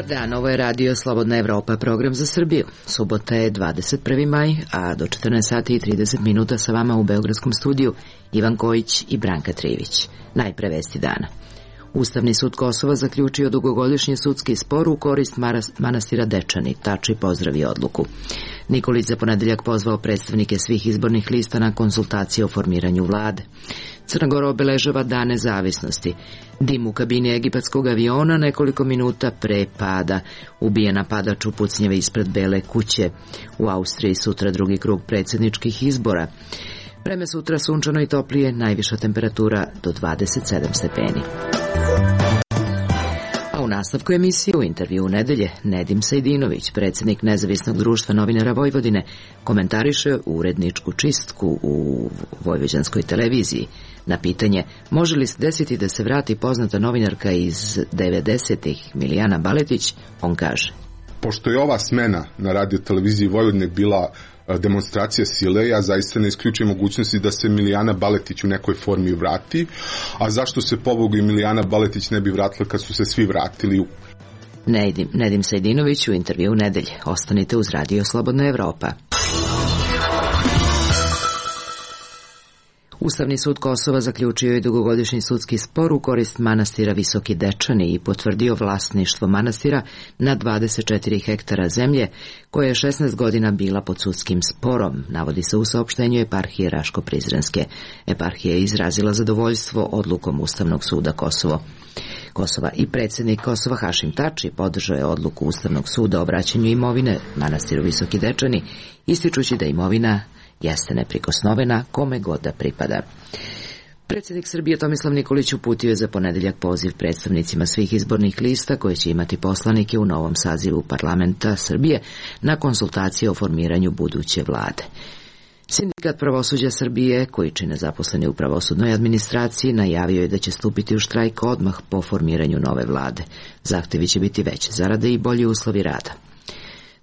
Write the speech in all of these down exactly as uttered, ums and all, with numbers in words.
Dan, ovo je Radio Slobodna Evropa, program za Srbiju. Subota je dvadeset prvi maj, a do četrnaest sati i trideset minuta sa vama u Beogradskom studiju Ivan Kojić i Branka Trivić. Najpre vesti dana. Ustavni sud Kosova zaključio dugogodišnji sudski spor u korist manastira Dečani. Tači pozdravio odluku. Nikolić za ponedeljak pozvao predstavnike svih izbornih lista na konsultacije o formiranju vlade. Crna Gora obeležava Dan nezavisnosti. Dim u kabini egipatskog aviona nekoliko minuta pre pada. Ubije napadač u pucnjeve ispred Bele kuće. U Austriji sutra drugi krug predsjedničkih izbora. Vreme sutra sunčano i toplije, najviša temperatura do dvadeset sedam stepeni. A u nastavku emisije u intervju u nedelje Nedim Sejdinović, predsjednik Nezavisnog društva novinara Vojvodine, komentariše uredničku čistku u vojvođanskoj televiziji. Na pitanje može li se desiti da se vrati poznata novinarka iz devedesetih Milijana Baletić, on kaže: Pošto je ova smena na radioteleviziji Vojvodine bila demonstracija sile, ja zaista ne isključujem mogućnosti da se Milijana Baletić u nekoj formi vrati, a zašto se pobogu i Milijana Baletić ne bi vratila kad su se svi vratili u... Nedim, Nedim Sejdinović u intervju u nedelje. Ostanite uz Radio Slobodna Evropa. Ustavni sud Kosova zaključio je dugogodišnji sudski spor u korist manastira Visoki Dečani i potvrdio vlasništvo manastira na dvadeset četiri hektara zemlje, koja je šesnaest godina bila pod sudskim sporom, navodi se u saopštenju eparhije Raško-Prizrenske. Eparhija je izrazila zadovoljstvo odlukom Ustavnog suda Kosovo. Kosova i predsjednik Kosova Hašim Tači podržao je odluku Ustavnog suda o vraćanju imovine manastiru Visoki Dečani, ističući da imovina jeste neprikosnovena kome god da pripada. Predsjednik Srbije Tomislav Nikolić uputio je za ponedeljak poziv predstavnicima svih izbornih lista koje će imati poslanike u novom sazivu parlamenta Srbije na konsultacije o formiranju buduće vlade. Sindikat pravosuđa Srbije, koji čine zaposleni u pravosudnoj administraciji, najavio je da će stupiti u štrajk odmah po formiranju nove vlade. Zahtevi će biti veće zarade i bolji uslovi rada.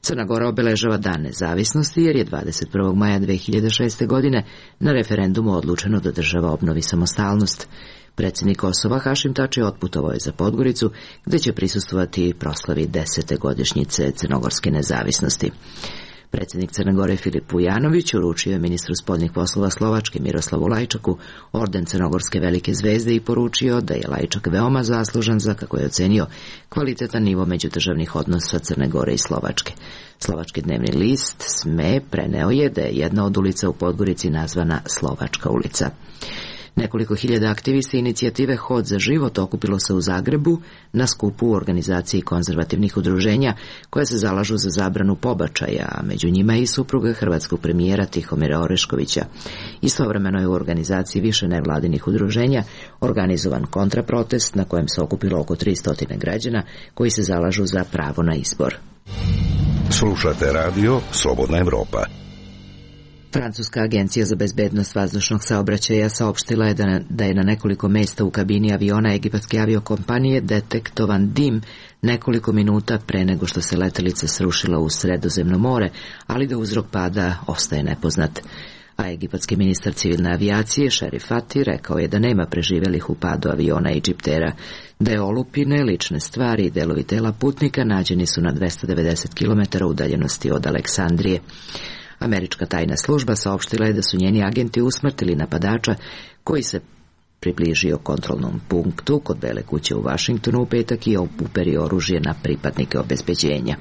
Crna Gora obeležava Dan nezavisnosti jer je dvadeset prvog maja dve hiljade šeste. godine na referendumu odlučeno da država obnovi samostalnost. Predsjednik Kosova Hašim Tači otputovao je za Podgoricu, gde će prisustvovati proslavi desete godišnjice crnogorske nezavisnosti. Predsjednik Crne Gore Filip Vujanović uručio je ministru spoljnih poslova Slovačke Miroslavu Lajčaku orden Crnogorske velike zvezde i poručio da je Lajčak veoma zaslužan za, kako je ocenio, kvalitetan nivo međudržavnih odnosa Crne Gore i Slovačke. Slovački dnevni list S M E preneo je da je jedna od ulica u Podgorici nazvana Slovačka ulica. Nekoliko hiljada aktivista inicijative Hod za život okupilo se u Zagrebu na skupu u organizaciji konzervativnih udruženja koje se zalažu za zabranu pobačaja, a među njima je i supruga hrvatskog premijera Tihomira Oreškovića. Istovremeno je u organizaciji više nevladinih udruženja organizovan kontraprotest na kojem se okupilo oko tristo građana koji se zalažu za pravo na izbor. Slušate radio Slobodna Evropa. Francuska agencija za bezbednost vazdušnog saobraćaja saopštila je da, da je na nekoliko mesta u kabini aviona egipatske aviokompanije detektovan dim nekoliko minuta pre nego što se letelica srušila u Sredozemno more, ali da uzrok pada ostaje nepoznat. A egipatski ministar civilne avijacije Šerif Fati rekao je da nema preživelih u padu aviona Egyptera, da je olupine, lične stvari i delovi tela putnika nađeni su na dvesta devedeset kilometara udaljenosti od Aleksandrije. Američka tajna služba saopštila je da su njeni agenti usmrtili napadača koji se približio kontrolnom punktu kod Bele kuće u Vašingtonu u petak i uperio oružje na pripadnike obezbeđenja.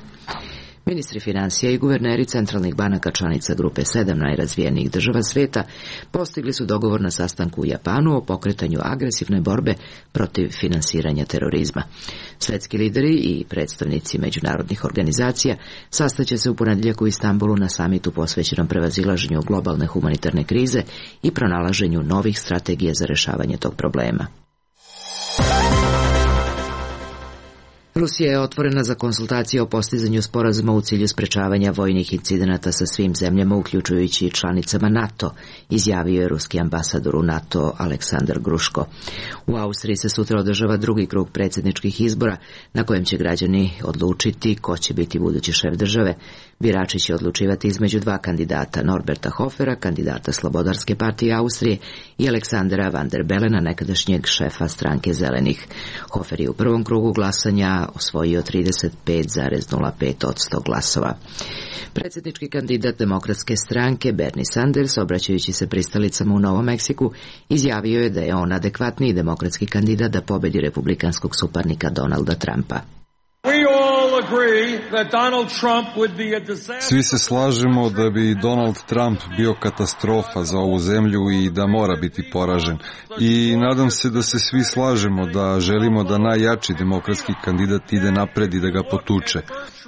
Ministri finansija i guverneri centralnih banaka članica grupe sedam najrazvijenijih država sveta postigli su dogovor na sastanku u Japanu o pokretanju agresivne borbe protiv finansiranja terorizma. Svetski lideri i predstavnici međunarodnih organizacija sastaće se u ponedeljak u Istanbulu na samitu posvećenom prevazilaženju globalne humanitarne krize i pronalaženju novih strategija za rešavanje tog problema. Rusija je otvorena za konsultacije o postizanju sporazuma u cilju sprečavanja vojnih incidenata sa svim zemljama, uključujući i članicama NATO, izjavio je ruski ambasador u NATO Aleksandar Gruško. U Austriji se sutra održava drugi krug predsjedničkih izbora, na kojem će građani odlučiti ko će biti budući šef države. Birači će odlučivati između dva kandidata, Norberta Hofera, kandidata Slobodarske partije Austrije, i Aleksandra Van der Belena, nekadašnjeg šefa stranke Zelenih. Hofer je u prvom krugu glasanja osvojio trideset pet zarez nula pet posto glasova. Predsjednički kandidat Demokratske stranke Bernie Sanders, obraćajući se pristalicama u Novom Meksiku, izjavio je da je on adekvatniji demokratski kandidat da pobedi republikanskog suparnika Donalda Trumpa. Svi se slažemo da bi Donald Trump bio katastrofa za ovu zemlju i da mora biti poražen. I nadam se da se svi slažemo da želimo da najjači demokratski kandidat ide napred i da ga potuče.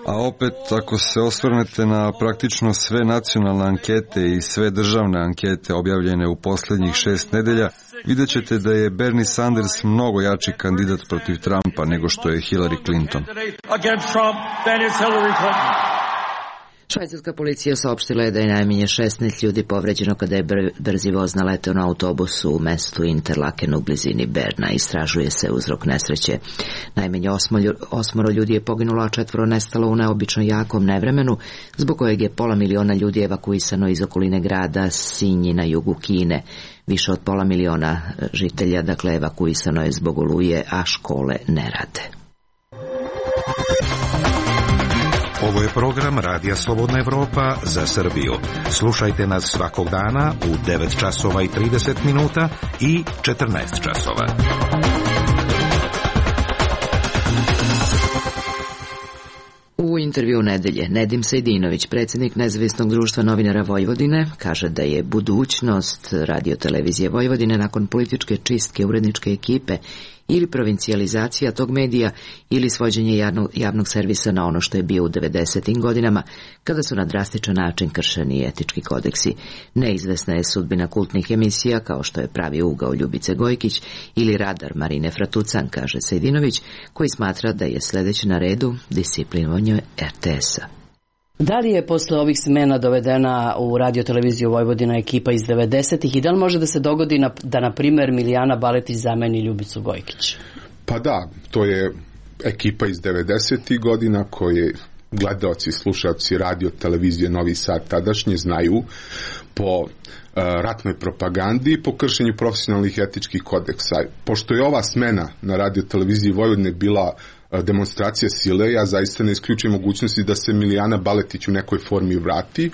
A opet, ako se osvrnete na praktično sve nacionalne ankete i sve državne ankete objavljene u posljednjih šest nedelja, vidjet ćete da je Bernie Sanders mnogo jači kandidat protiv Trumpa nego što je Hillary Clinton. Švajcarska policija saopštila je da je najmanje šesnaest ljudi povređeno kada je brzi voz naleteo na autobusu u mestu Interlaken u blizini Berna. Istražuje se uzrok nesreće. Najmanje osmoro ljudi je poginulo, a četvoro nestalo u neobično jakom nevremenu, zbog kojeg je pola miliona ljudi evakuisano iz okoline grada Sinji na jugu Kine. Više od pola miliona žitelja, dakle, evakuisano je zbog oluje, a škole ne rade. Ovo je program Radija Slobodna Evropa za Srbiju. Slušajte nas svakog dana u devet časova i trideset minuta i četrnaest časova. U intervju nedelje Nedim Sejdinović, predsjednik Nezavisnog društva novinara Vojvodine, kaže da je budućnost radiotelevizije Vojvodine nakon političke čistke uredničke ekipe ili provincijalizacija tog medija ili svođenje javnog, javnog servisa na ono što je bio u devedesetim godinama, kada su na drastičan način kršeni etički kodeksi. Neizvesna je sudbina kultnih emisija kao što je Pravi ugao Ljubice Gojkić ili Radar Marine Fratucan, kaže Sejdinović, koji smatra da je sljedeće na redu disciplinovanje er te es-a. Da li je posle ovih smena dovedena u radioteleviziju Vojvodina ekipa iz devedesetih i da li može da se dogodi na, da, na primjer, Milijana Baletić zameni Ljubicu Gojkić? Pa da, to je ekipa iz devedesetih godina koje gledaoci i slušaoci radiotelevizije Novi Sad tadašnje znaju po uh, ratnoj propagandi i po kršenju profesionalnih etičkih kodeksa. Pošto je ova smena na radioteleviziji Vojvodine bila demonstracija sile, ja zaista ne isključujem mogućnosti da se Milijana Baletić u nekoj formi vrati,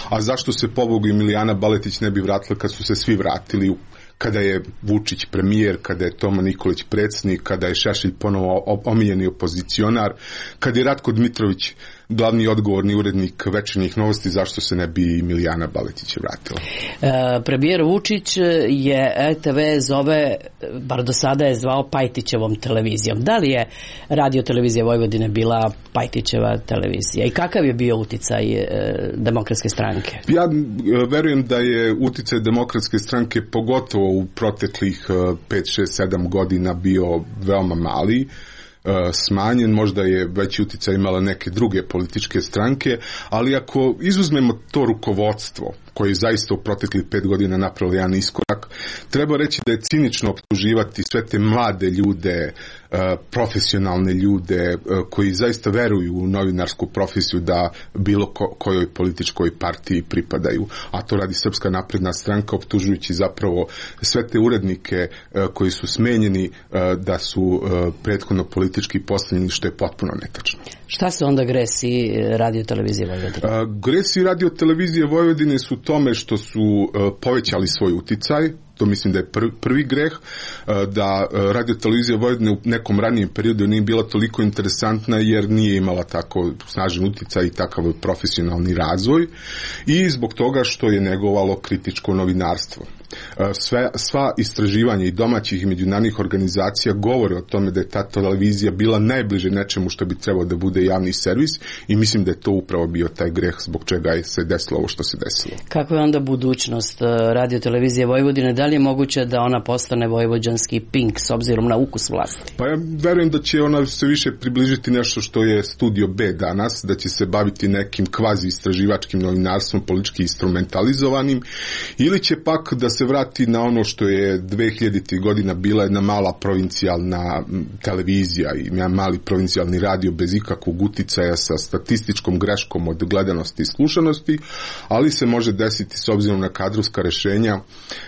a zašto se pobogu i Milijana Baletić ne bi vratila kad su se svi vratili, kada je Vučić premijer, kada je Toma Nikolić predsjednik, kada je Šešelj ponovo omiljeni opozicionar, kada je Ratko Dmitrović glavni odgovorni urednik Večernjih novosti, zašto se ne bi Milijana Baletić vratila? E, premijer Vučić je er te ve zove, bar do sada je zvao Pajtićevom televizijom. Da li je radiotelevizija Vojvodine bila Pajtićeva televizija i kakav je bio uticaj e, Demokratske stranke? Ja verujem da je uticaj Demokratske stranke pogotovo u proteklih pet, šest, sedam godina bio veoma mali, smanjen, možda je veći uticaj imala neke druge političke stranke, ali ako izuzmemo to rukovodstvo koje je zaista u proteklih pet godina napravilo jedan iskorak, treba reći da je cinično optuživati sve te mlade ljude, profesionalne ljude koji zaista veruju u novinarsku profesiju da bilo ko, kojoj političkoj partiji pripadaju. A to radi Srpska napredna stranka, optužujući zapravo sve te urednike koji su smenjeni da su prethodno politički postavljeni, što je potpuno netačno. Šta se onda gresi radiotelevizije Vojvodine? Gresi radiotelevizije Vojvodine su tome što su povećali svoj uticaj. To mislim da je prvi, prvi greh, da radiotelevizija Vojvodine u nekom ranijem periodu nije bila toliko interesantna jer nije imala tako snažan uticaj i takav profesionalni razvoj i zbog toga što je negovalo kritičko novinarstvo. Sve, sva istraživanja i domaćih i međunarodnih organizacija govore o tome da je ta televizija bila najbliže nečemu što bi trebalo da bude javni servis i mislim da je to upravo bio taj greh zbog čega je se desilo ovo što se desilo. Kakva je onda budućnost radiotelevizije Vojvodine? Da li je moguće da ona postane vojvođanski Pink s obzirom na ukus vlasti? Pa ja verujem da će ona se više približiti nešto što je Studio B danas, da će se baviti nekim kvazi istraživačkim novinarstvom, politički instrumentalizovanim, ili će pak da se se vrati na ono što je dve hiljaditih godina bila jedna mala provincijalna televizija i jedan mali provincijalni radio bez ikakvog uticaja sa statističkom greškom od gledanosti i slušanosti, ali se može desiti s obzirom na kadrovska rešenja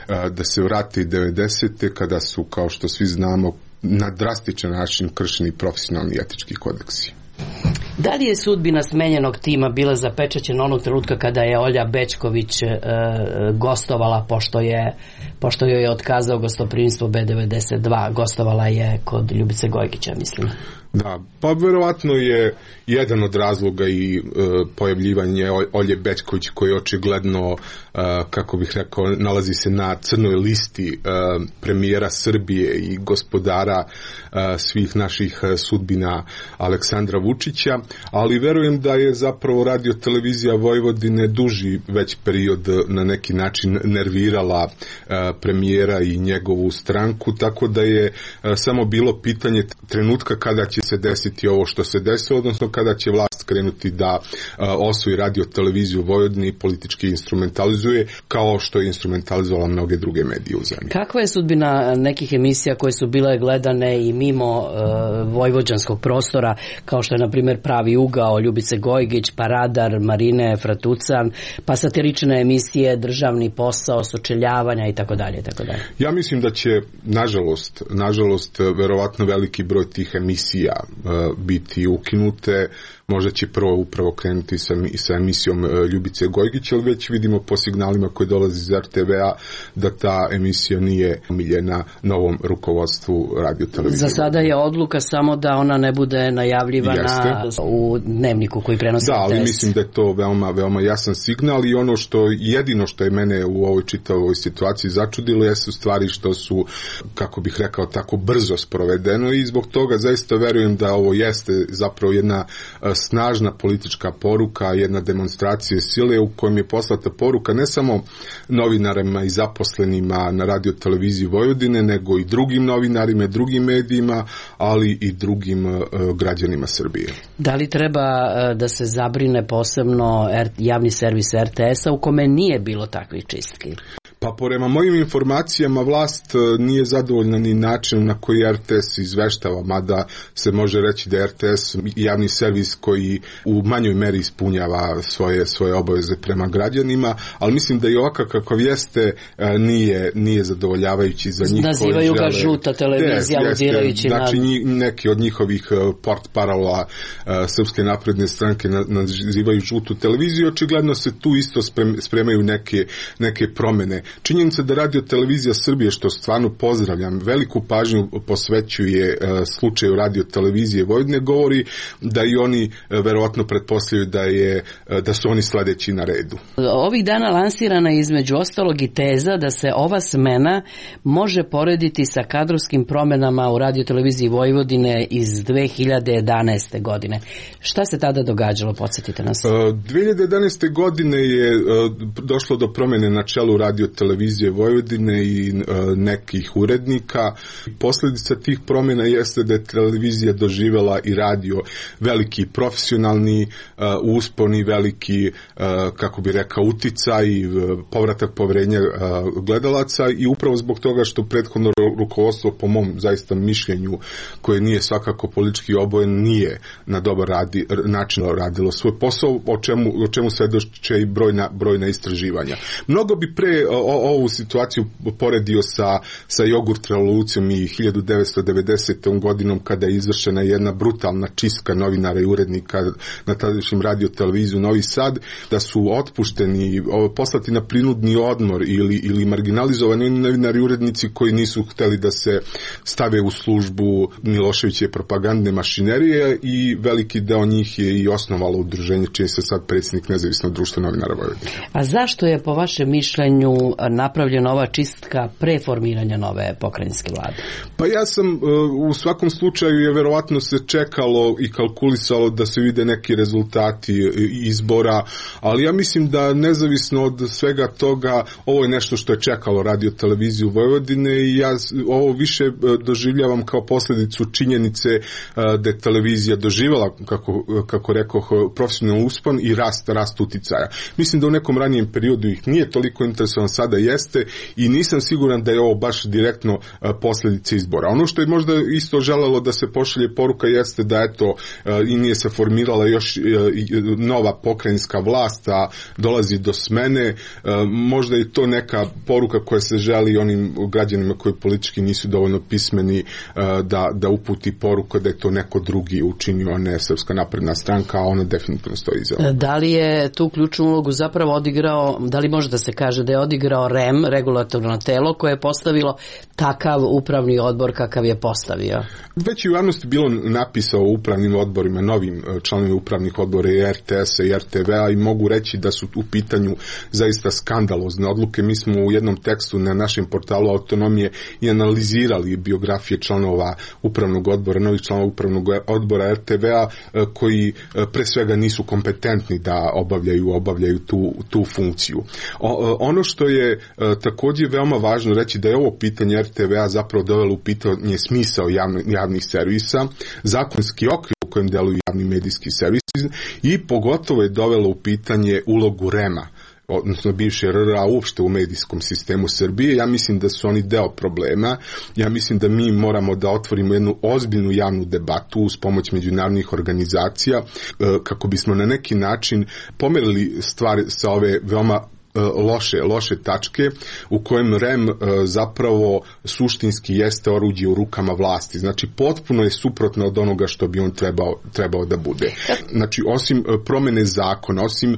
da se vrati devedesete kada su, kao što svi znamo, na drastičan način kršeni profesionalni i etički kodeksi. Da li je sudbina smenjenog tima bila zapečaćena onog trenutka kada je Olja Bećković e, gostovala, pošto je pošto joj je otkazao gostoprimstvo B devedeset dva, gostovala je kod Ljubice Gojgića, mislim. Da, pa verovatno je jedan od razloga i e, pojavljivanje Olje Bećković, koji je očigledno, e, kako bih rekao, nalazi se na crnoj listi e, premijera Srbije i gospodara e, svih naših sudbina Aleksandra Vučića, ali verujem da je zapravo Radio televizija Vojvodine duži već period na neki način nervirala e, premijera i njegovu stranku, tako da je e, samo bilo pitanje trenutka kada će se desiti ovo što se desilo, odnosno kada će vlast krenuti da uh, osvoji Radio televiziju Vojvodine i politički instrumentalizuje, kao što je instrumentalizovala mnoge druge medije u zemlji. Kakva je sudbina nekih emisija koje su bile gledane i mimo uh, vojvođanskog prostora, kao što je na primjer Pravi ugao Ljubice Gojgić, pa Radar Marine Fratucan, pa satirične emisije Državni posao, Sučeljavanja i tako dalje, tako dalje. Ja mislim da će, nažalost, nažalost, verovatno veliki broj tih emisija biti ukinute. Možda će prvo upravo krenuti sa, sa emisijom Ljubice Gojgić, ali već vidimo po signalima koji dolazi iz er te ve-a da ta emisija nije omiljena novom rukovodstvu Radio televizije. Za sada je odluka samo da ona ne bude najavljivana Jeste. u dnevniku koji prenosi. Da, ali mislim da je to veoma, veoma jasan signal i ono što, jedino što je mene u ovoj čitavoj situaciji začudilo jesu stvari što su, kako bih rekao, tako brzo sprovedeno i zbog toga zaista verujem da ovo jeste zapravo jedna snažna politička poruka, jedna demonstracija sile u kojem je poslata poruka ne samo novinarima i zaposlenima na Radio televiziji Vojvodine, nego i drugim novinarima i drugim medijima, ali i drugim uh, građanima Srbije. Da li treba uh, da se zabrine posebno er, javni servis er te es-a u kome nije bilo takvih čistki? Pa prema mojim informacijama vlast nije zadovoljna ni načinom na koji er te es izveštava, mada se može reći da er te es javni servis koji u manjoj meri ispunjava svoje, svoje obaveze prema građanima, ali mislim da i ovakav kakav jeste nije, nije zadovoljavajući za njih. Nazivaju ga žuta televizija, aludirajući na... Znači neki od njihovih port parola Srpske napredne stranke nazivaju žutu televiziju, očigledno se tu isto spremaju neke, neke promene. Činjenica da Radio televizija Srbije, što stvarno pozdravljam, veliku pažnju posvećuje slučaju Radio televizije Vojvodine, govori da i oni verovatno pretpostavljaju da, je, da su oni sledeći na redu. Ovih dana lansirana je između ostalog i teza da se ova smena može porediti sa kadrovskim promenama u Radio televiziji Vojvodine iz dve hiljade jedanaeste. godine. Šta se tada događalo? Podsjetite nas. dve hiljade jedanaeste. godine je došlo do promene na čelu Radio televizije Vojvodine i nekih urednika. Posljedica tih promjena jeste da je televizija doživela i radio veliki profesionalni uspon i veliki, kako bi rekao, uticaj i povratak poverenja gledalaca i upravo zbog toga što prethodno rukovodstvo, po mom zaista mišljenju, koje nije svakako politički obojen, nije na dobar radi, način radilo svoj posao, o čemu, o čemu svedoče i brojna, brojna istraživanja. Mnogo bi pre o, ovu situaciju poredio sa, sa jogurt revolucijom i hiljadu devetsto devedesetom. godinom kada je izvršena jedna brutalna čistka novinara i urednika na tadašnjem Radio televiziju Novi Sad, da su otpušteni, poslati na prinudni odmor ili, ili marginalizovani novinari i urednici koji nisu hteli da se stave u službu Miloševićeve propagandne mašinerije i veliki deo njih je i osnovalo udruženje čiji se sad predsjednik Nezavisnog društva novinara Vojvodine. A zašto je po vašem mišljenju napravljena ova čistka pre formiranja nove pokrajinske vlade? Pa ja sam, u svakom slučaju je verovatno se čekalo i kalkulisalo da se vide neki rezultati izbora, ali ja mislim da nezavisno od svega toga ovo je nešto što je čekalo Radio televiziju Vojvodine i ja ovo više doživljavam kao posljedicu činjenice da je televizija doživjela, kako, kako rekoh, profesionalni uspon i rast, rast uticaja. Mislim da u nekom ranijem periodu ih nije toliko interesovan, sad sada jeste i nisam siguran da je ovo baš direktno posljedica izbora. Ono što je možda isto želelo da se pošalje poruka jeste da eto i nije se formirala još nova pokrajinska vlast, a dolazi do smene. Možda je to neka poruka koja se želi onim građanima koji politički nisu dovoljno pismeni da, da uputi poruku da je to neko drugi učinio, a ne Srpska napredna stranka, a ona definitivno stoji iza. Da li je tu ključnu ulogu zapravo odigrao, da li može da se kaže da je odigrao R E M, regulatorno telo, koje je postavilo takav upravni odbor kakav je postavio? Već i u javnosti bilo napisao o upravnim odborima, novim članovima upravnih odbora i R T S-a i R T V-a i mogu reći da su u pitanju zaista skandalozne odluke. Mi smo u jednom tekstu na našem portalu Autonomije i analizirali biografije članova upravnog odbora, novih članova upravnog odbora R T V-a koji pre svega nisu kompetentni da obavljaju, obavljaju tu, tu funkciju. O, ono što je također veoma važno reći da je ovo pitanje R T V-a zapravo dovelo u pitanje smisao javno, javnih servisa, zakonski okvir u kojem deluju javni medijski servisi i pogotovo je dovelo u pitanje ulogu R E M-a, odnosno bivše R R A uopšte u medijskom sistemu Srbije. Ja mislim da su oni deo problema. Ja mislim da mi moramo da otvorimo jednu ozbiljnu javnu debatu uz pomoć međunarodnih organizacija kako bismo na neki način pomerili stvari sa ove veoma loše, loše tačke u kojem R E M zapravo suštinski jeste oruđe u rukama vlasti. Znači, potpuno je suprotno od onoga što bi on trebao, trebao da bude. Znači, osim promene zakona, osim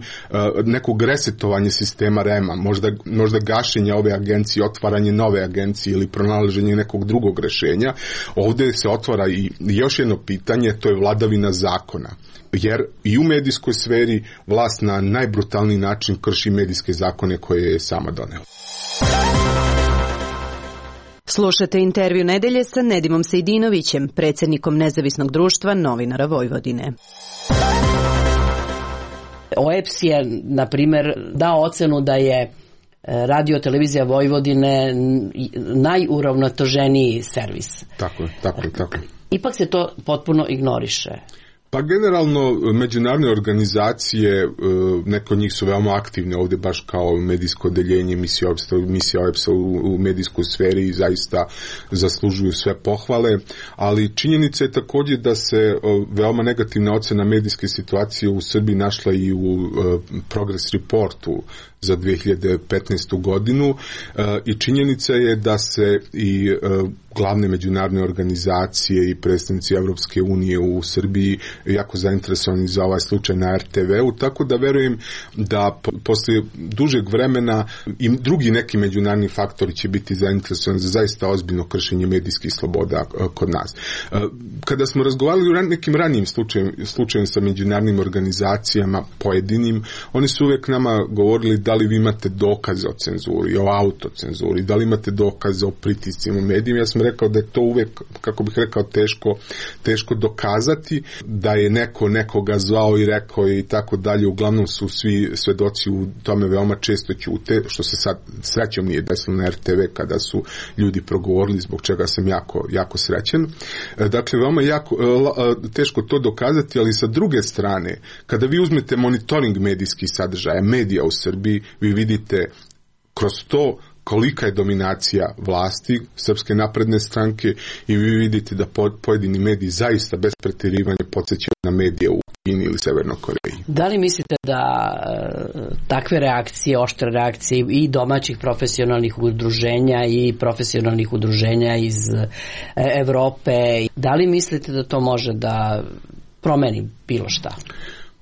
nekog resetovanja sistema R E M-a, možda, možda gašenja ove agencije, otvaranje nove agencije ili pronalaženje nekog drugog rešenja, ovdje se otvara i još jedno pitanje, to je vladavina zakona. Jer i u medijskoj sferi vlast na najbrutalniji način krši medijske zakone koje je sama donela. Slušate intervju nedelje sa Nedimom Sejdinovićem, predsjednikom Nezavisnog društva novinara Vojvodine. O E P S je, na primjer, dao ocenu da je Radio televizija Vojvodine najuravnoteženiji servis. Tako je, tako je, tako je. Ipak se to potpuno ignoriše. Pa generalno međunarodne organizacije, neko od njih su veoma aktivne ovdje baš kao medijsko odeljenje, misija O E P S-a u, u medijskoj sferi i zaista zaslužuju sve pohvale, ali činjenica je također da se veoma negativna ocena medijske situacije u Srbiji našla i u Progress Reportu za dve hiljade petnaestu godinu i činjenica je da se i glavne međunarodne organizacije i predstavnici Evropske unije u Srbiji jako zainteresovani za ovaj slučaj na R T V-u, tako da verujem da posle dužeg vremena i drugi neki međunarodni faktori će biti zainteresovani za zaista ozbiljno kršenje medijskih sloboda kod nas. Kada smo razgovarali o nekim ranijim slučajem, slučajem sa međunarodnim organizacijama pojedinim, oni su uvijek nama govorili da li vi imate dokaze o cenzuri, o autocenzuri, da li imate dokaze o pritiscima medijima. Ja sam rekao da je to uvijek, kako bih rekao, teško, teško dokazati, da je neko nekoga zvao i rekao i tako dalje. Uglavnom su svi svedoci u tome veoma često ćute, što se sad srećom nije desilo na R T V kada su ljudi progovorili, zbog čega sam jako, jako srećan. Dakle, veoma jako, teško to dokazati, ali sa druge strane, kada vi uzmete monitoring medijskih sadržaja, medija u Srbiji, vi vidite kroz to kolika je dominacija vlasti Srpske napredne stranke i vi vidite da pojedini mediji zaista bez pretjerivanja podsjećaju na medije u Kini ili Severnoj Koreji. Da li mislite da takve reakcije, oštre reakcije i domaćih profesionalnih udruženja i profesionalnih udruženja iz Evrope, da li mislite da to može da promeni bilo šta?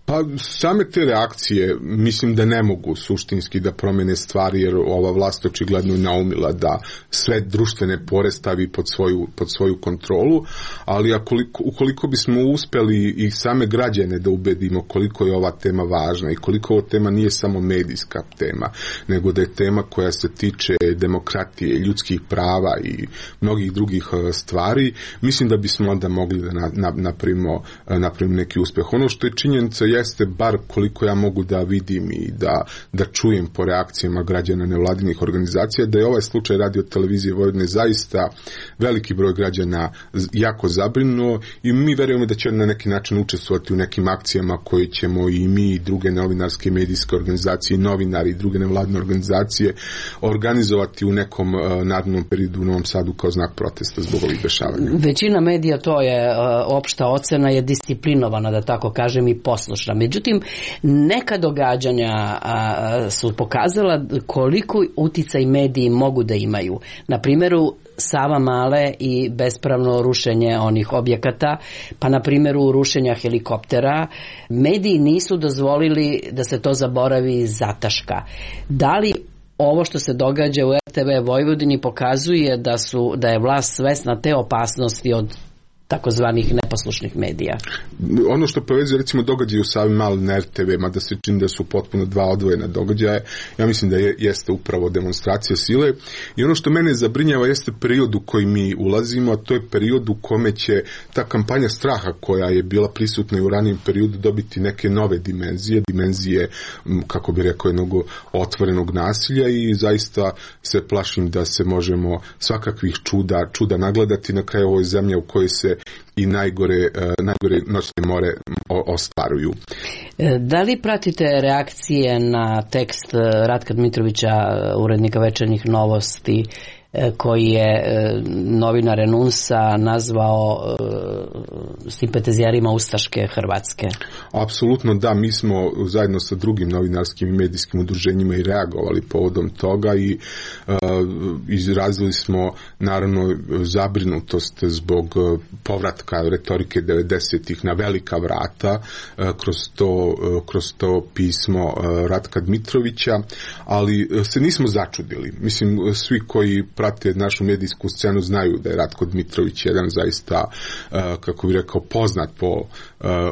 Pa same te reakcije mislim da ne mogu suštinski da promene stvari, jer ova vlast očigledno je naumila da sve društvene pore stavi pod svoju, pod svoju kontrolu, ali akoliko, ukoliko bismo uspeli i same građane da ubedimo koliko je ova tema važna i koliko ova tema nije samo medijska tema, nego da je tema koja se tiče demokratije, ljudskih prava i mnogih drugih stvari, mislim da bismo onda mogli da napravimo, napravimo neki uspeh. Ono što je činjenica jeste, bar koliko ja mogu da vidim i da, da čujem po reakcijama građana nevladinih organizacija, da je ovaj slučaj Radio televizije Vojvodine zaista veliki broj građana jako zabrinuo i mi verujemo da će na neki način učestvovati u nekim akcijama koje ćemo i mi i druge novinarske medijske organizacije, novinari i druge nevladine organizacije organizovati u nekom uh, narednom periodu u Novom Sadu kao znak protesta zbog ovih dešavanja. Većina medija, to je uh, opšta ocena, je disciplinovana, da tako kažem, i poslušna. Međutim, neka događanja uh, su pokazala koliko uticaj mediji mogu da imaju. Na primjeru Sava Male i bespravno rušenje onih objekata, pa na primjeru rušenja helikoptera, mediji nisu dozvolili da se to zaboravi i zataška. Da li ovo što se događa u R T V Vojvodini pokazuje da su da je vlast svesna te opasnosti od takozvanih neposlušnih medija? Ono što povezuje recimo događaje u Savi Male na R T V, mada se čini da su potpuno dva odvojena događaja, ja mislim da je, jeste upravo demonstracija sile i ono što mene zabrinjava jeste period u koji mi ulazimo, a to je period u kome će ta kampanja straha koja je bila prisutna i u ranijem periodu dobiti neke nove dimenzije, dimenzije, kako bi rekao, jednog otvorenog nasilja i zaista se plašim da se možemo svakakvih čuda, čuda nagledati na kraju ovoj zemlje u kojoj se i najgore, najgore noćne more ostvaruju. Da li pratite reakcije na tekst Ratka Dmitrovića, urednika Večernjih novosti, koji je novinar Enunsa nazvao simpatizijarima ustaške Hrvatske? Apsolutno da, mi smo zajedno sa drugim novinarskim i medijskim udruženjima i reagovali povodom toga i uh, izrazili smo naravno zabrinutost zbog povratka retorike devedesetih na velika vrata uh, kroz, to, uh, kroz to pismo uh, Ratka Dmitrovića, ali uh, se nismo začudili. Mislim, svi koji prate našu medijsku scenu znaju da je Ratko Dmitrović jedan zaista, kako bih rekao, poznat po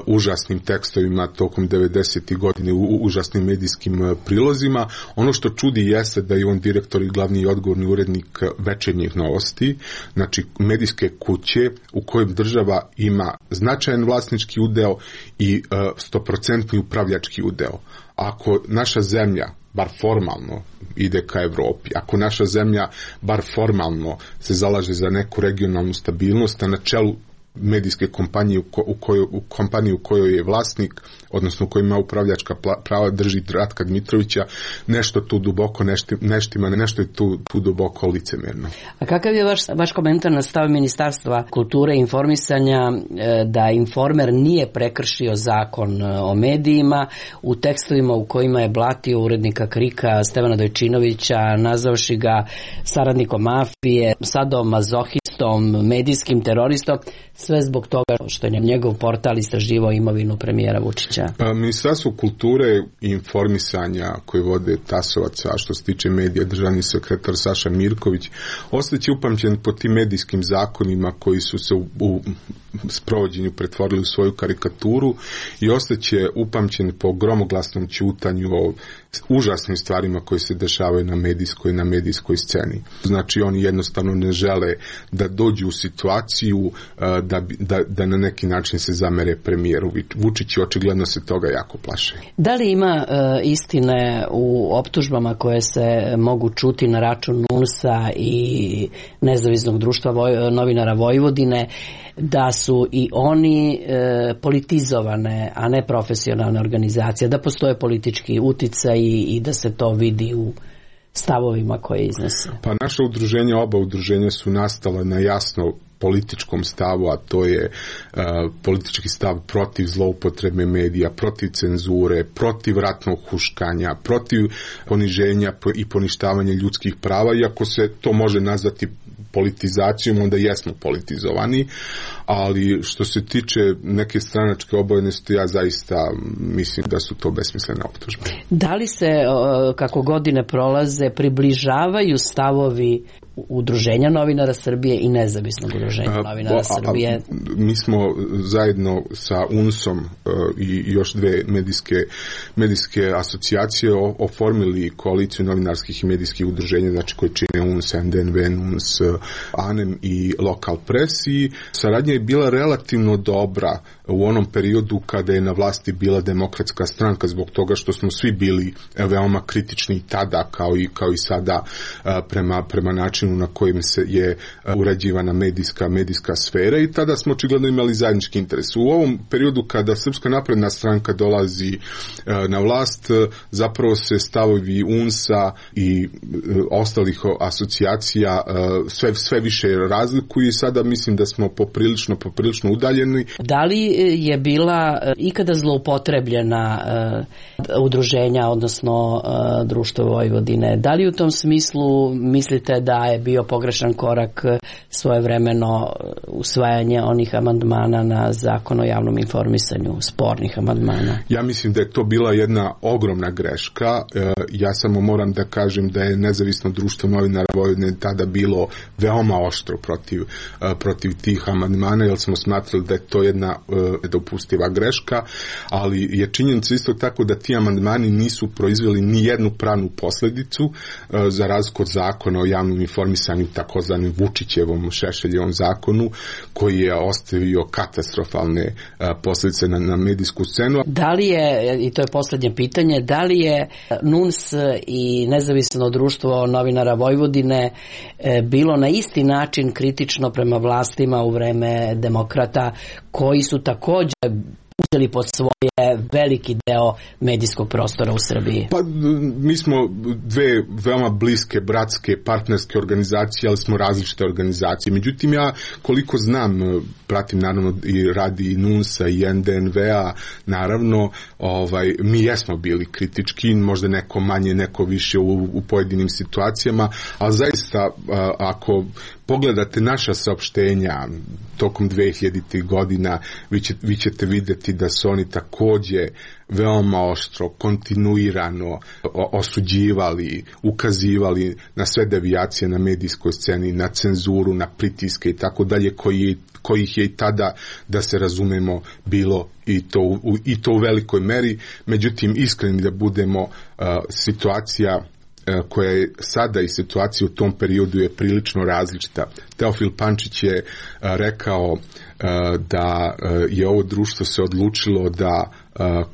užasnim tekstovima tokom devedesetih godine, u užasnim medijskim prilozima. Ono što čudi jeste da je on direktor i glavni i odgovorni urednik Večernjih novosti, znači medijske kuće u kojem država ima značajan vlasnički udeo i stoprocentni upravljački udeo. Ako naša zemlja bar formalno ide ka Evropi, ako naša zemlja bar formalno se zalaže za neku regionalnu stabilnost, a na čelu medijske kompanije u kojoj, u kompaniji u kojoj je vlasnik, odnosno u kojoj ima upravljačka prava, drži Ratka Dmitrovića, nešto tu duboko neštima, nešto je tu, tu duboko licemjerno. A kakav je vaš, vaš komentar na stav Ministarstva kulture i informisanja da Informer nije prekršio zakon o medijima u tekstovima u kojima je blatio urednika Krika Stevana Dojčinovića, nazavši ga saradnikom mafije, sadomazohistom, medijskim teroristom, sve zbog toga što je njegov portal istraživao imovinu premijera Vučića? Ministarstvo kulture i informisanja koje vode Tasovac, a što se tiče medija, državni sekretar Saša Mirković, ostaće upamćen po tim medijskim zakonima koji su se u, u sprovođenju pretvorili u svoju karikaturu i ostaće upamćen po gromoglasnom ćutanju o užasnim stvarima koje se dešavaju na medijskoj na medijskoj sceni. Znači oni jednostavno ne žele da dođu u situaciju da, da, da na neki način se zamere premijeru Vučiću, očigledno se toga jako plaše. Da li ima e, istine u optužbama koje se mogu čuti na račun N U N S-a i Nezavisnog društva Voj, novinara Vojvodine, da su i oni e, politizovane, a ne profesionalne organizacije, da postoje politički uticaj i, i da se to vidi u stavovima koje iznese? Pa naša udruženja, oba udruženja su nastala na jasno političkom stavu, a to je uh, politički stav protiv zloupotrebe medija, protiv cenzure, protiv ratnog huškanja, protiv poniženja i poništavanja ljudskih prava, iako se to može nazvati politizacijom, onda jesmo politizovani, ali što se tiče neke stranačke obojenosti, ja zaista mislim da su to besmislene optužbe. Da li se, kako godine prolaze, približavaju stavovi Udruženja novinara Srbije i Nezavisnog udruženja novinara a, Srbije? A, a, mi smo zajedno sa U N S-om uh, i još dve medijske, medijske asocijacije o, oformili koaliciju novinarskih i medijskih udruženja, znači koji čine U N S, N D N V, U N S, A N E M i Lokal Pres, i saradnja je bila relativno dobra u onom periodu kada je na vlasti bila Demokratska stranka, zbog toga što smo svi bili veoma kritični tada kao i, kao i sada prema, prema načinu na kojim se je urađivana medijska, medijska sfera i tada smo očigledno imali zajednički interes. U ovom periodu kada Srpska napredna stranka dolazi na vlast, zapravo se stavovi U N S-a i ostalih asocijacija sve, sve više razlikuju i sada mislim da smo poprilično, poprilično udaljeni. Da li je bila ikada zloupotrebljena uh, udruženja, odnosno uh, Društvo Vojvodine? Da li u tom smislu mislite da je bio pogrešan korak svojevremeno usvajanje onih amandmana na Zakon o javnom informisanju, spornih amandmana? Ja mislim da je to bila jedna ogromna greška. Ja samo moram da kažem da je Nezavisno društvo novinara Vojvodine tada bilo veoma oštro protiv, protiv tih amandmana, jer smo smatrali da je to jedna nedopustiva greška, ali je činjenica isto tako da ti amandmani nisu proizveli ni jednu pravnu posledicu, za razliku od Zakona o javnom informisanju, takozvanim Vučićevom Šešeljevom zakonu, koji je ostavio katastrofalne posledice na, na medijsku scenu. Da li je, i to je poslednje pitanje, da li je N U N S i Nezavisno društvo novinara Vojvodine bilo na isti način kritično prema vlastima u vreme demokrata, koji su također uzeli pod svoje veliki deo medijskog prostora u Srbiji? Pa mi smo dve veoma bliske, bratske, partnerske organizacije, ali smo različite organizacije. Međutim, ja koliko znam, pratim naravno i radi i N U N S-a i N D N V-a, naravno, ovaj, mi jesmo bili kritički, možda neko manje, neko više u, u pojedinim situacijama, ali zaista ako pogledate naša saopštenja tokom dve hiljaditih godina, vi, će, vi ćete vidjeti da su oni takođe veoma oštro, kontinuirano osuđivali, ukazivali na sve devijacije na medijskoj sceni, na cenzuru, na pritiske i tako dalje, koji, kojih je i tada, da se razumemo, bilo i to, u, i to u velikoj meri. Međutim, iskreni da budemo, uh, situacija koja je sada i situacija u tom periodu je prilično različita. Teofil Pančić je rekao da je ovo društvo se odlučilo da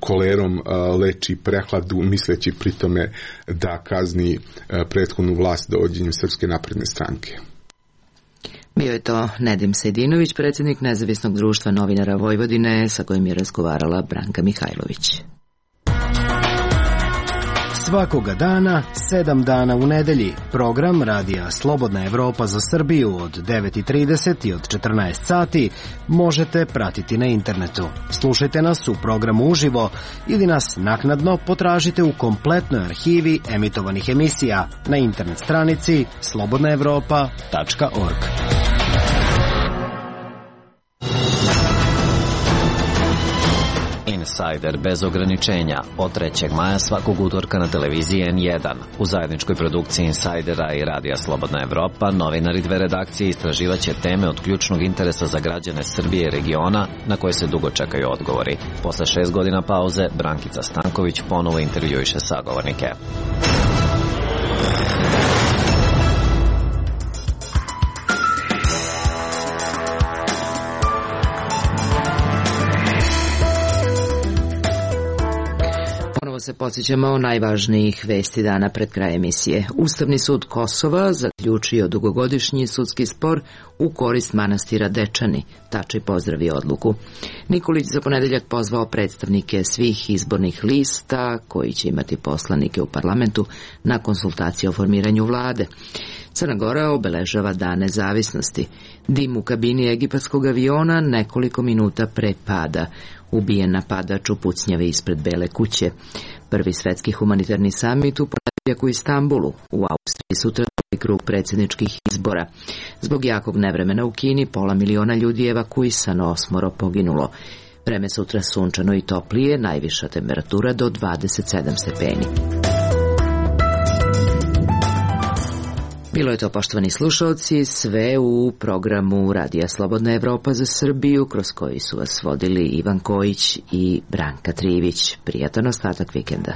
kolerom leči prehladu, misleći pritome da kazni prethodnu vlast dovođenjem Srpske napredne stranke. Bio je to Nedim Sejdinović, predsjednik Nezavisnog društva novinara Vojvodine, sa kojim je razgovarala Branka Mihajlović. Svakoga dana, sedam dana u nedelji, program Radija Slobodna Evropa za Srbiju od devet i trideset i od četrnaest sati možete pratiti na internetu. Slušajte nas u programu uživo ili nas naknadno potražite u kompletnoj arhivi emitovanih emisija na internet stranici slobodna evropa tačka org. Insider bez ograničenja od trećeg maja svakog utorka na televiziji N jedan. U zajedničkoj produkciji Insidera i Radija Slobodna Evropa novinari dve redakcije istraživaće teme od ključnog interesa za građane Srbije i regiona na koje se dugo čekaju odgovori. Posle šest godina pauze Brankica Stanković ponovo intervjuiše sagovornike. Se podsjećamo o najvažnijih vesti dana pred kraj emisije. Ustavni sud Kosova zaključio dugogodišnji sudski spor u korist manastira Dečani. Tači pozdravi odluku. Nikolić za ponedeljak pozvao predstavnike svih izbornih lista koji će imati poslanike u parlamentu na konsultacije o formiranju vlade. Crna Gora obeležava Dan nezavisnosti. Dim u kabini egipatskog aviona nekoliko minuta pre pada. Ubijen napadač u pucnjavi ispred Bele kuće. Prvi svetski humanitarni samit u ponedeljak u Istanbulu. U Austriji sutra drugi krug predsjedničkih izbora. Zbog jakog nevremena u Kini pola miliona ljudi je evakuisano, osmoro poginulo. Vreme sutra sunčano i toplije, najviša temperatura do dvadeset sedam stepeni. Bilo je to, poštovani slušalci, sve u programu Radija Slobodna Evropa za Srbiju, kroz koji su vas vodili Ivan Kojić i Branka Trivić. Prijatan ostatak vikenda.